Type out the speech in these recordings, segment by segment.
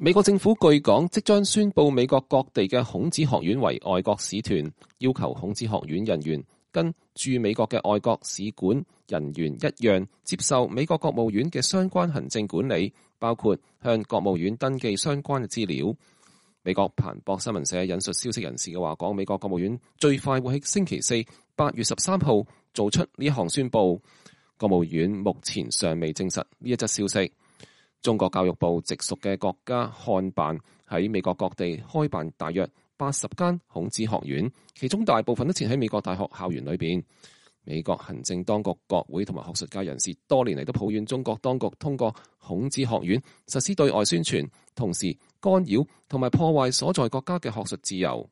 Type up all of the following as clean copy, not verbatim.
美國政府據講即將宣布美國各地嘅孔子學院為外國使團，要求孔子學院人員跟駐美國嘅外國使館人員一樣，接受美國國務院嘅相關行政管理，包括向國務院登記相關嘅資料。美國彭博新聞社引述消息人士嘅話講，美國國務院最快會喺星期四8月13號做出呢一項宣佈。國務院目前尚未證實呢一則消息。中國教育部直屬嘅國家漢辦喺美國各地開辦大約80間孔子學院，其中大部分都設喺美國大學校園裏邊。美國行政當局、國會同埋學術界人士多年嚟都抱怨中國當局通過孔子學院實施對外宣傳，同時干擾同埋破壞所在國家嘅學術自由。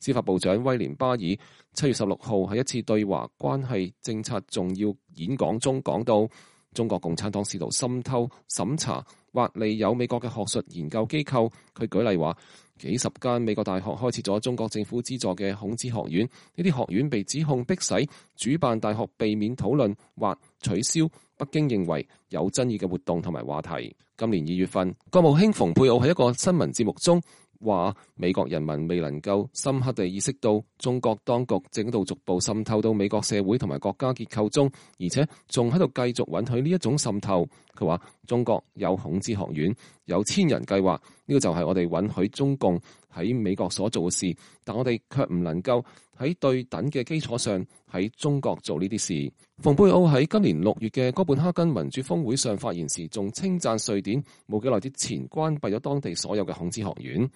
司法部長威廉巴爾7月16號喺一次對華關係政策重要演講中講到，中國共產黨試圖滲透、審查或利誘美國嘅學術研究機構。佢舉例話，幾十間美國大學開設咗中國政府資助嘅孔子學院，呢啲學院被指控迫使主辦大學避免討論或取消北京認為有爭議嘅活動同埋話題。今年2月份，國務卿蓬佩奧喺一個新聞節目中話，美國人民未能夠深刻地意識到中國當局正喺度逐步滲透到美國社會同埋國家結構中，而且仲喺度繼續允許呢一種滲透。佢話中國有孔子學院，有千人計劃，呢個就係我哋允許中共喺美國所做嘅事，但我哋卻唔能夠喺對等嘅基礎上喺中國做呢啲事。蓬佩奧喺今年6月嘅哥本哈根民主峰會上發言時，仲稱讚瑞典冇幾耐之前關閉咗當地所有嘅孔子學院。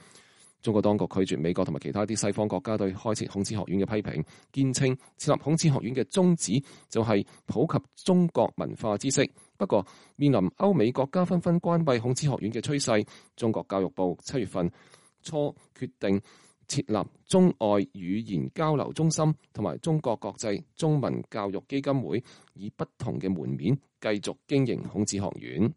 中國當局拒絕美國同埋其他啲西方國家對開設孔子學院嘅批評，堅稱設立孔子學院嘅宗旨就係普及中國文化知識。不過，面臨歐美國家紛紛關閉孔子學院嘅趨勢，中國教育部7月份初決定設立中外語言交流中心同埋中國國際中文教育基金會，以不同嘅門面繼續經營孔子學院。